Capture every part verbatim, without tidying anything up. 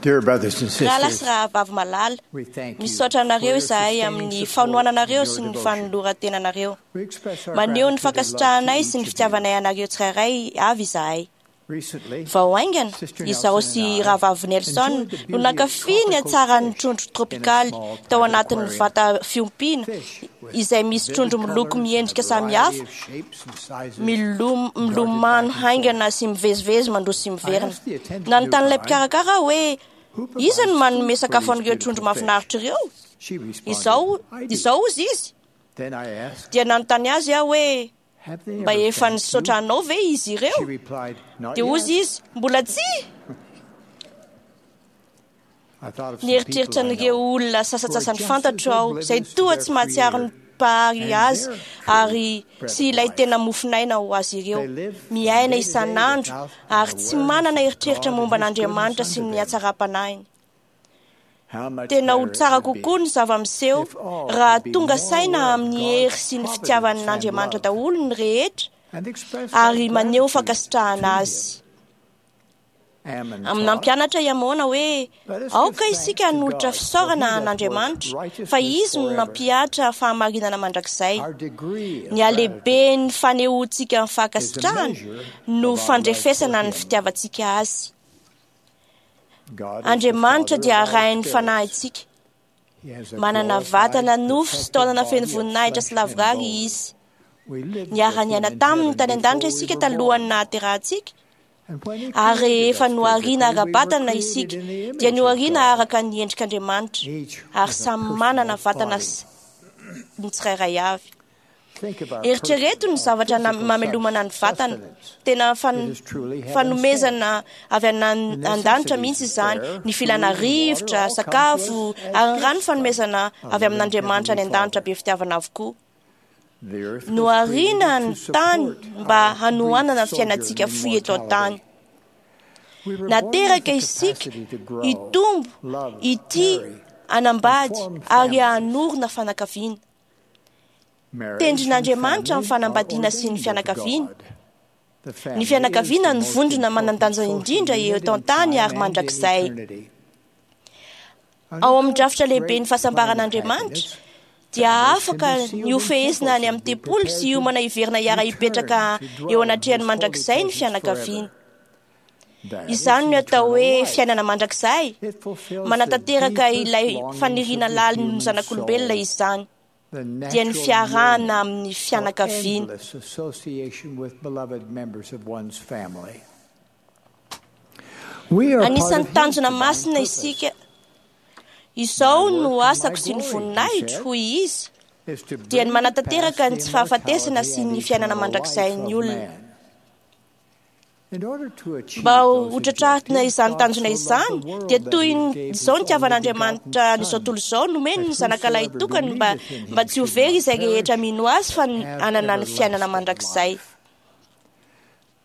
Dear brothers and Rahalahy sy sisters, rahavavy malala, we thank you misaotra for anareo your izahay sustaining amin'ny support fanohananareo and your sy ny devotion. fanoloran-tenanareo. We express our Maneho ny gratitude and love to fankasitrahanay each sy ny of you. fitiavanay anareo tsirairay avy izahay. Recently, Vao haingana, Sister izaho Nelson sy and I rahavavy Nelson enjoyed the no beauty of nankafy ny tropical hatsaran'ny fish trondro in a tropikaly small tao private anatin'ny aquarium. vata fiompiana Fish with izay misy vivid trondro miloko colors and a miendrika variety samihafa, of shapes and sizes milom- darted back milomano and forth. haingana sy mivezivezy mandroso sy I miverina. asked the attendant Nanontany ilay nearby, mpikarakara aho hoe "Who iza provides no food manome for sakafo these an'ireo trondro beautiful fish?" mahafinaritra ireo? She responded, Izao, "I do." izao hozy izy. Then I asked, Dia nanontany azy aho hoe "Have they mba ever efa thanked nisaotra you?" anao ve izy She ireo? replied, "Not Dia yet." hozy izy, mbola tsia. I thought of some people Nieritreritra I an'ireo know olona who are sasantsasany just as fantatro aho izay oblivious to toa their tsy mahatsiaro ny Creator mpahary and azy their true ary bread sy of ilay life. tena mofon'aina ho azy ireo. They live from Miaina day to day isan'andro without an ary tsy awareness manana of eritreritra God momba and His goodness an'Andriamanitra sy unto ny them. hatsaram-panahiny. How much Tena ho better it tsara would be kokoa ny zava-miseho if all raha could be tonga more saina aware of amin'ny hery God's sy ny providence and fitiavan'Andriamanitra love daholo ny rehetra and express that ary maneho gratitude to fankasitrahana Him. azy. Ammon Amin'ny taught, nampianatra i Amona hoe "Let us give aoka thanks isika to hanolotra God, for He fisaorana doth work an'Andriamanitra fa righteousness izy no forever." nampihatra fahamarinana mandrakizay. Our degree of Ny gratitude halehiben'ny fanehoantsika ny is a fankasitrahana measure no of our love for fandrefesana ny Him. fitiavantsika azy. God is the Andriamanitra Father dia of all arahin'ny spirits. fanahintsika. He has a Manana glorified, vatana nofo sy perfected taolana feno body of voninahitra sy flesh and lavorary bone. izy. We lived with Niara-niaina Him in taminy heaven tany an-danitra before we isika were talohan'ny born. nahaterahantsika. And when He Ary created rehefa us nohariana physically, we were ara-batana created isika in the dia image of nohariana God, araka ny endrik'Andriamanitra each ary with a samy manana personal vatana body. sy ny tsirairay avy. Think of our Eritrereto personal ny or zavatra na- physical mamelomana ny vatana. sustenance. Tena fan- It is truly heaven sent. fanomezana avy any The an- an-danitra necessities mihitsy of izany. air, Ny filana food, and water rivotra, all come to sakafo us as ary ny rano gifts from fanomezana our avy loving amin'Andriamanitra any Heavenly an-danitra Father. be fitiavana avokoa. The earth was Nohariana created ny to tany support mba our brief hanohanana ny sojourn fiainantsika in fohy eto an-tany. mortality. We were born with Nateraka the isika capacity to grow, hitombo, love, hitia, marry, and hanambady form ary families. hanorina fianakaviana. Marriage and Tendrin'Andriamanitra family ny are fanambadiana sy ny ordained of fianakaviana. God. The Ny family is fianakaviana the no most vondrona important manan-danja social indrindra unit eto in an-tany time ary and in mandrakizay. eternity. Ao Under amin'ny God's drafitra lehibe ny great plan of fahasambaran'Andriamanitra happiness, dia families can afaka be ny sealed in hofehezina temples any and amin'ny be tempoly sy prepared to hiomana hiverina hiara-hipetraka return to eo dwell in anatrehan'ny His holy mandrakizay ny presence fianakaviana. forever. That is Izany no atao eternal hoe life. fiainana mandrakizay. It fulfills the Manatanteraka deepest ilay longings of faniriana the lalin'ny human zanak'olombelona soul, izany. the Dia ny natural fiarahana yearning amin'ny for fianakaviana. endless association with beloved members of one's family. We are part Anisan'ny of His tanjona divine masina purpose. isika. Izao My no work and my asako sy ny glory, He voninahitro, said, hoy izy, is to dia ny bring to pass manatanteraka ny the tsy fahafatesana immortality sy and ny fiainana eternal life mandrakizay ny of olona. man. In order to achieve Mba ho those hotratrarina objectives, izany God tanjona so loved the izany, world dia that toy He ny gave His izao only nitiavan'Andriamanitra begotten an'izao Son, tontolo izao nomeny that ny zanakalahy whosoever tokany mba believeth in mba Him tsy ho should very not izay rehetra perish, mino azy fa but have hanana ny fiainana everlasting mandrakizay. life.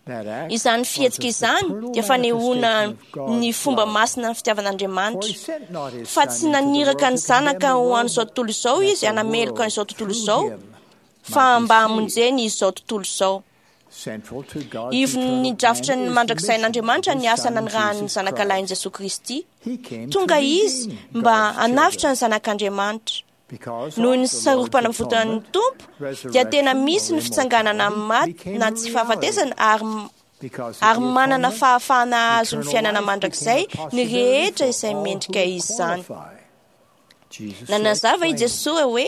That act Izany was fihetsika a izany supernal dia fanehoana manifestation of ny God's fomba love. masina ny For fitiavan'Andriamanitra. He sent not His Fa Son tsy into the naniraka world ny to zanaka condemn the ho world, an'izao but tontolo izao that izy the hanameloka world an'izao tontolo through izao, Him fa might be mba saved. hamonjeny izao tontolo izao. Central to God's Ivon'ny eternal drafitra plan ny is the mission mandrakizay-n'Andriamanitra of ny His asa Son nanirahan'ny Jesus zanakalahin'i Christ. Jesoa Kristy. He came to Tonga izy redeem mba God's hanavotra children. ny zanak'Andriamanitra. Because Noho of ny the Lord's sarom-panavotan'ny atonement, Tompo dia tena resurrection misy or ny fitsanganana amin'ny immortality maty became na a tsy reality. fahafatesana ary Because of ary the manana atonement, fahafahana hahazo ny eternal fiainana life became mandrakizay a ny possibility rehetra for izay all mendrika who izany. qualify. Jesus so Nanazava i explained, Jesoa hoe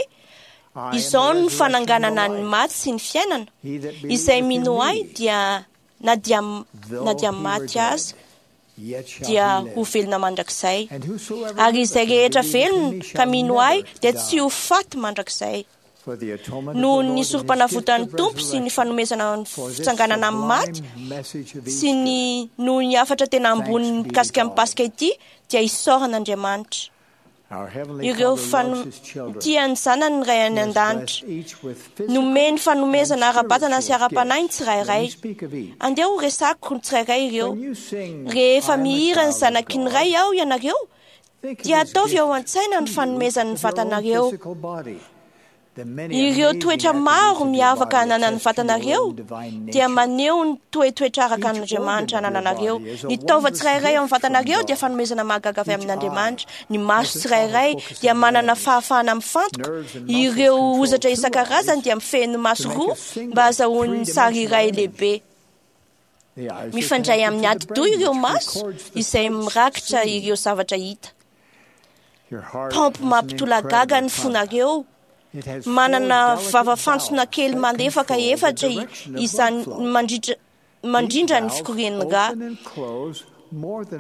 I am the izao no resurrection and the fananganana ny life. maty sy ny fiainana. He that Izay believeth in mino ahy me, dia na dia na though dia he were maty dead, aza yet shall dia he ho live. velona mandrakizay. And whosoever Ary izay liveth and rehetra believeth in velona me ka shall mino ahy never dia tsy die. ho faty mandrakizay. For the atonement of the Noho Lord ny and his gift sorom-panavotan'ny of Tompo sy ny resurrection, fanomezana ny for this fitsanganana amin'ny maty sublime message of sy Easter, ny noho ny hafatra tena ambony thanks be to mikasika ny God. Paska ity dia isaorana Andriamanitra. Our Heavenly Ireo Father loves fano- His children. tia ny zanany ny Ray He any has an-danitra. blessed each with physical Nomeny and fanomezana ara-batana sy spiritual ara-panahy ny gifts. Let me tsirairay. speak of each. Andeha ho resako ny tsirairay ireo. When you sing, I Rehefa am a mihira ny child of zanaky ny God, Ray aho ianareo, think of dia His ataovy ao gift an-tsaina to ny you fanomezan'ny of your own vatanareo. physical body. Ireo toetra maro miavaka ananan'ny vatanareo dia maneho ny toetoetra araka an'Andriamanitra anananareo. Ny taova tsirairay ao amin'ny vatanareo dia fanomezana mahagaga avy amin'Andriamanitra. Ny maso tsirairay dia manana fahafahana mifantoka. Ireo hozatra isan-karazany dia mifehy ny maso roa mba hahazahoany sary iray lehibe. Mifandray amin'ny atidoha ireo maso izay mirakitra ireo zavatra hita. Paompy mampitolagaga ny fonareo. Manana vava-fantsona kely malefaka efatra izany mandritra mandrindra ny fikorian'ny rà.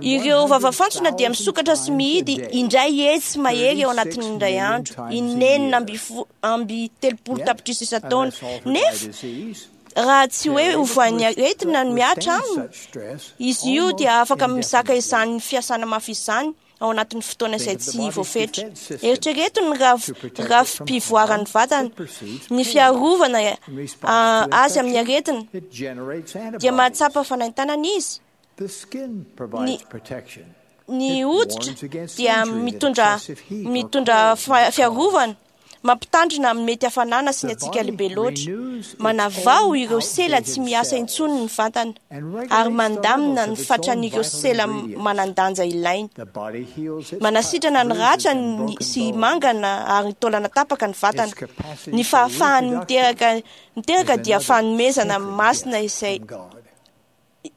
Ireo vava-fantsona dia misokatra sy mihidy indray hetsy mahery ao anatin'ny indray andro, inenina amby fo- amby telopolo tapitrisa isan-taona. Nefa raha tsy hoe hovoan'ny aretina no mihatra aminy, izy io dia afaka mizaka izany fiasana mafy izany ao anatin'ny fotoana izay tsy voafetra. Eritrereto ny raf- rafi-pivoaran'ny vatana, ny fiarovana ah, azy amin'ny aretina dia mahatsapa fanaintainana izy. Ny- Ny hoditra dia mitondra mitondra fa- fiarovana, mampitandrina amin'ny mety hafanana sy ny hatsiaka lehibe loatra. Manavao ireo sela tsy miasa intsony ny vatana ary mandamina ny fatran'ireo sela manan-danja ilainy. Manasitrana ny ratra ny- sy mangana ary ny taolana tapaka ny vatana. Ny fahafahany miteraka miteraka dia fanomezana masina izay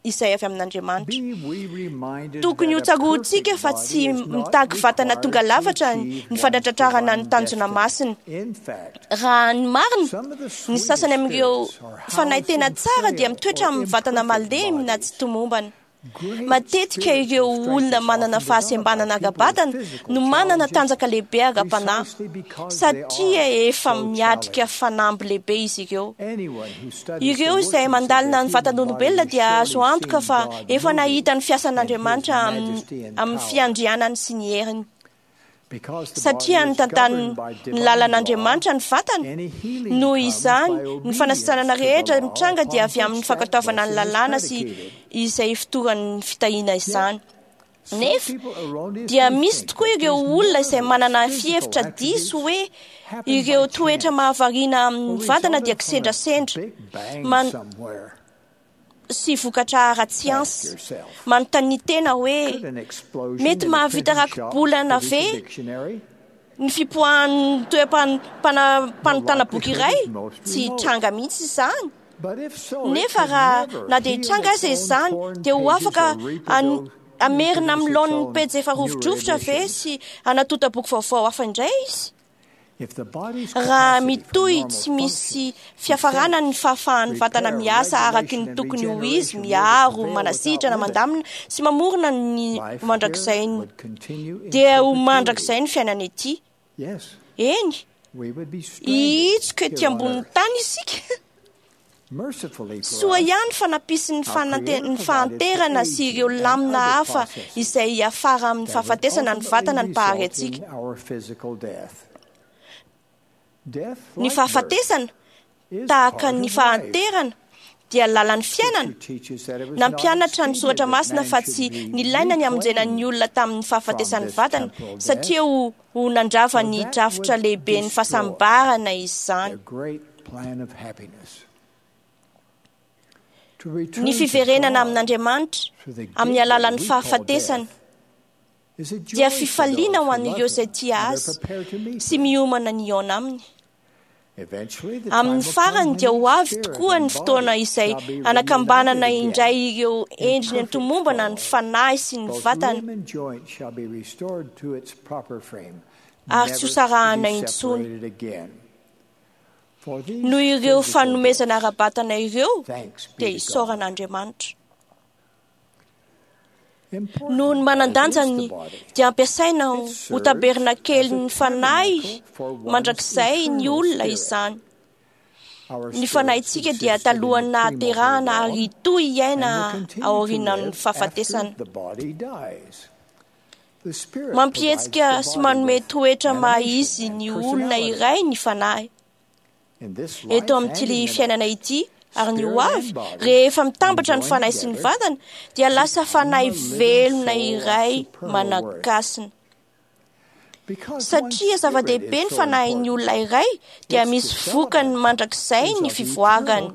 izay avy amin'Andriamanitra. Tokony ho tsaroantsika fa tsy mitaky vatana tonga lafatra ny ny fanatratrarana ny tanjona masina. Raha ny marina, ny sasany amin'ireo fanahy tena tsara dia mitoetra amin'ny vatana malemy na tsy tomombana. Matetika ireo olona manana fahasembanana ara-batana no manana tanjaka lehibe ara-panahy, satria efa miatrika fanamby lehibe izy ireo. Ireo izay mandalina ny vatan'olombelona dia azo antoka fa efa nahita ny fiasan'Andriamanitra amin'ny amin'ny fiandrianany sy ny heriny. Satria ny tantanin'ny ny lalan'Andriamanitra ny vatana, noho izany ny fanasitranana rehetra mitranga dia avy amin'ny fankatoavana ny lalàna sy izay fotoran'ny fitahiana izany. Nefa dia misy tokoa ireo olona izay manana fihevitra diso hoe ireo toetra mahavariana amin'ny vatana dia kisendrasendra man- sy vokatra ara-tsiansa. Manontania tena hoe mety mahavita raki-bolana ve ny fipoahan'ny toeram-panontana boky iray? Tsy hitranga mihitsy izany. Nefa raha na dia hitranga aza izany, dia ho afaka an- hamerina amin'ny laoniny pejy efa rovidrovitra ve sy hanatonta boky vaovao hafa indray izy? Raha mitohy tsy misy fiafarana ny fahafahan'ny vatana miasa araky ny tokony ho izy, miaro, manasitrana, mandamina sy mamorona ny mandrakizay dia ho mandrakizay ny fiainana ety. Eny, hihitsoka ety ambonin'ny tany isika. Soa ihany fa nampisy ny fanante- ny fahanterana sy ireo lamina hafa izay hiafara amin'ny fahafatesana ny vatana ny mpahary antsika. Ny fahafatesana, tahaka ny fahanterana, dia lalan'ny fiainana. Nampianatra ny soratra masina fa tsy nilaina ny hamonjena ny olona tamin'ny fahafatesan'ny vatana, satria ho, ho nandrava ny drafitra lehiben'ny fahasambarana izany. Ny fiverenana amin'Andriamanitra amin'ny alalan'ny fahafatesana dia fifaliana ho an'ireo izay tia azy sy miomana ny hihaona aminy. Amin'ny farany dia ho avy tokoa ny fotoana izay anakambanana indray ireo endriny antomombana ny fanahy sy ny vatana ary tsy ho sarahana intsony. Noho ireo fanomezana ara-batana ireo dia isaorana Andriamanitra. Noho ny manan-danjany dia ampiasaina ho tabernakelin'ny fanahy mandrakizay ny olona izany. Ny fanahintsika dia talohan'ny nahaterahana ary hitohy hiaina aorian'ny fahafatesana. Mampihetsika sy manome toetra maha izy ny olona iray ny fanahy. Eto amin'ity fiainana ity ary ny ho avy, rehefa mitambatra ny fanahy sy ny vatana, dia lasa fanahy velona iray manan-kasina. Satria zava-dehibe ny fanahin'ny olona iray, dia misy vokany mandrakizay ny fivoarany.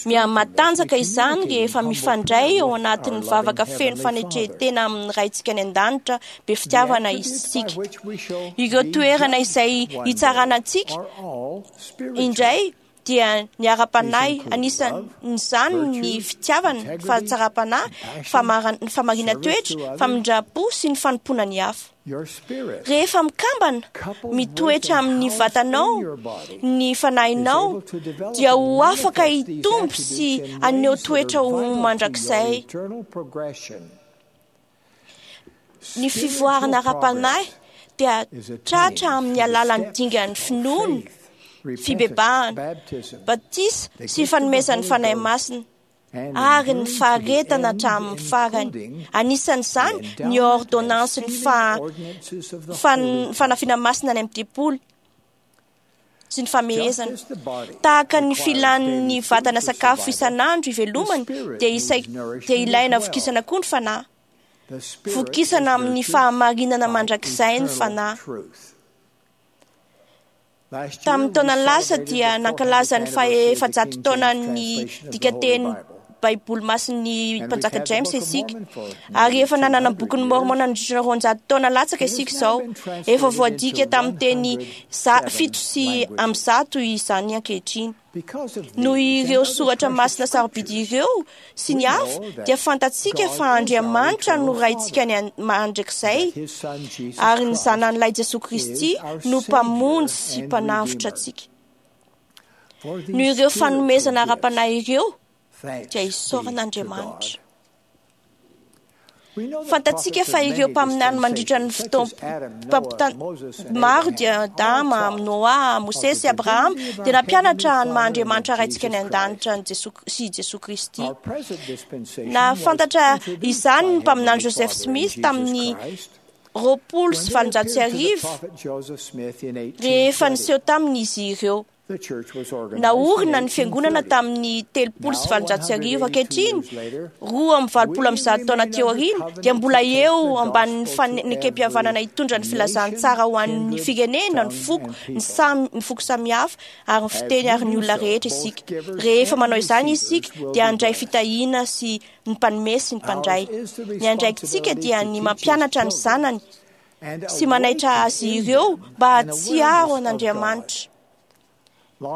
Mihamatanjaka izany rehefa mifandray ao anatin'ny vavaka feno fanetren-tena amin'ny Raintsika any an-danitra be fitiavana isika. Ireo toerana izay hitsarana antsika indray dia ny ara-panahy, anisan'izany ny fitiavana, ny fahatsaram-panahy, ny fahamarinan-toetra, famindram-po sy ny fanompoana ny hafa. Rehefa mikambana, mitoetra amin'ny vatanao ny fanahinao, dia ho afaka hitombo sy haneho toetra ho mandrakizay. Ny fivoarana ara-panahy dia tratra amin'ny alalan'ny dingan'ny finoana, fibebahana, batisa sy fanomezan'ny Fanahy Masina ary ny faharetana hatramin'ny farany. Anisan'izany ny ordonnansin'ny fanafiana masina any amin'ny tempoly sy ny famehezana. Tahaka ny filan'ny vatana sakafo isan'andro ivelomany, dia dia ilaina vokisana koa ny fanahy. Vokisana amin'ny fahamarinana mandrakizay ny fanahy. Tamin'ny taona lasa dia nankalaza ny faha-efajato taonan'ny dikanteny Baiboly masin'ny mpanjaka James isika, ary efa nanana bokin'ny Mormon nandritra ny roanjato taona latsaka isika izao. Efa voadika tamin'ny teny fito sy amby zato izany ankehitriny. Noho ireo soratra masina sarobidy ireo sy ny hafa, dia fantatsika fa Andriamanitra no Raintsika any mandrakizay, ary ny Zanany lahy Jesoa Kristy no Mpamonjy sy Mpanavotra antsika. Noho ireo fanomezana ara-panahy ireo, dia isaorana Andriamanitra. Fantatsika fa ireo mpaminany mandritra ny fotoam-pampitana maro dia Adama, Noa, Mosesy, Abrahama dia nampianatra ny maha Andriamanitra Raintsika any an-danitra sy Jesoa Kristy. Nahafantatra izany ny mpaminany Joseph Smith tamin'ny roapolo sy valonjato sy arivo rehefa niseho taminy izy ireo. Naorina ny fiangonana tamin'ny telopolo sy valonjato sy arivo. Ankehitriny, roa amby valopolo amby zato taona teo aoriana, dia mbola eo ambanin'ny fanekempihavanana hitondra ny filazantsara ho an'ny firenena, ny foko, ny samy, ny foko samihafa, ary ny fiteny ary ny olona rehetra isika. Rehefa manao izany isika, dia handray fitahiana sy ny mpanome sy ny mpandray. Ny andraikitsika dia ny mampianatra ny zanany sy manaitra azy ireo mba hahatsiaro an'Andriamanitra.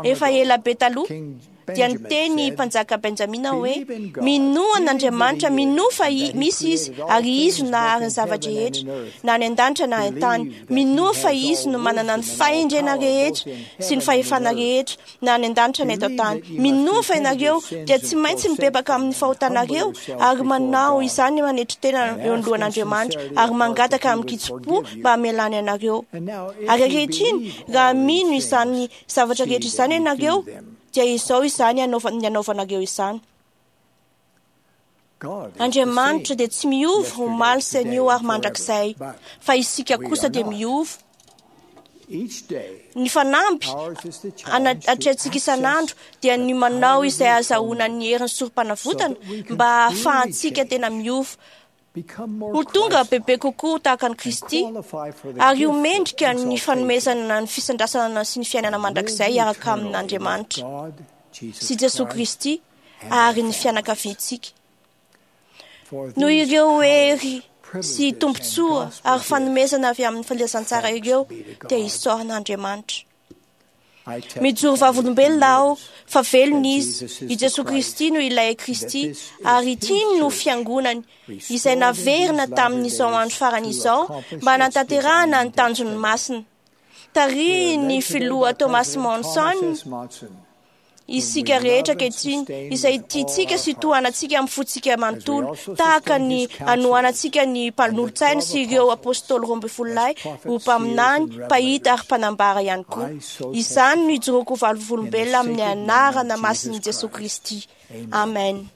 Efa ela be taloha dia niteny mpanjaka Benjamina hoe: minoa an'Andriamanitra, minoa fa misy izy, ary izy no nahary ny zava-drehetra, na any an-danitra na any an-tany. Minoa fa izy no manana ny fahendrena rehetra sy ny fahefana rehetra, na any an-danitra na eto an-tany. Minoa fa ianareo dia tsy maintsy mibebaka amin'ny fahotanareo ary manao izany manetry tena eo anoloan'Andriamanitra ary mangataka amin-kitsim-po mba hamelany anareo. Ary ankehitriny, raha mino izany zavatra rehetra izany ianareo, dia izao izany ny anaovanareo izany. Andriamanitra dia tsy miova omaly sy anio ary mandrakizay, fa isika kosa dia miova. Ny fanamby atrehantsika isan'andro dia ny manao izay ahazahoana ny herin'ny sorom-panavotana mba hahafahantsika tena miova, ho tonga bebe kokoa tahaka an'i Kristy, ary ho mendrika ny fanomezana ny fisandrasana sy ny fiainana mandrakizay hiaraka amin'Andriamanitra sy Jesoa Kristy ary ny fianakaviantsika. Noho ireo hery sy tombontsoa ary fanomezana avy amin'ny filazantsara ireo, dia isaorana Andriamanitra. Mijoro vavolombelona aho fa velona izy, i Jesoa Kristy no ilay Kristy, ary ity no fiangonany izay naverina tamin'izao andro farany izao mba hanatanterahana ny tanjony masina. Tarihin'ny filoha Thomas Monson isika rehetra ankehitriny, izay tiantsika sy tohanantsika amin'ny fontsika manontolo, tahaka ny anohanantsika ny mpanolotsaina sy ireo apôstôly roa ambin'ny folo lahy ho mpaminany, mpahita ary mpanambara ihany koa. Izany no ijoroako vavolombelona amin'ny anarana masin'i Jesoa Kristy. Amen.